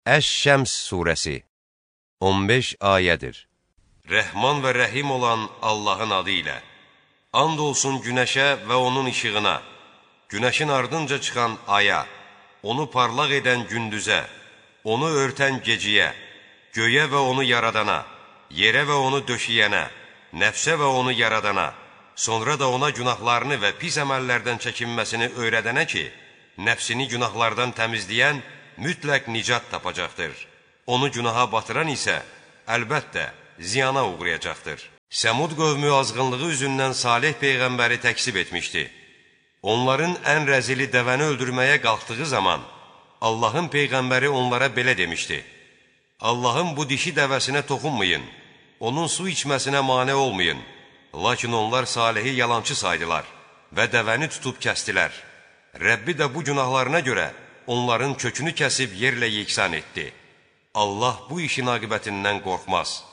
Əş-Şəms surəsi 15 ayədir. Rəhman və Rəhim olan Allahın adı ilə. And olsun günəşə və onun işığına, günəşin ardınca çıxan aya, onu parlaq edən gündüzə, onu örtən geciyə, göyə və onu yaradana, yerə və onu döşəyənə, nəfsə və onu yaradana, sonra da ona günahlarını və pis əməllərdən çəkinməsini öyrədənə ki, nəfsini günahlardan təmizləyən mütləq nicat tapacaqdır. Onu günaha batıran isə əlbəttə ziyana uğrayacaqdır. Səmud qövmü azğınlığı üzündən Salih Peyğəmbəri təksib etmişdi. Onların ən rəzili dəvəni öldürməyə qalxdığı zaman Allahın Peyğəmbəri onlara belə demişdi: Allahın bu dişi dəvəsinə toxunmayın, onun su içməsinə mane olmayın. Lakin onlar Salihi yalançı saydılar və dəvəni tutub kəstilər. Rəbbi də bu günahlarına görə onların kökünü kəsib yerlə yeksan etdi. Allah bu işin aqibətindən qorxmaz.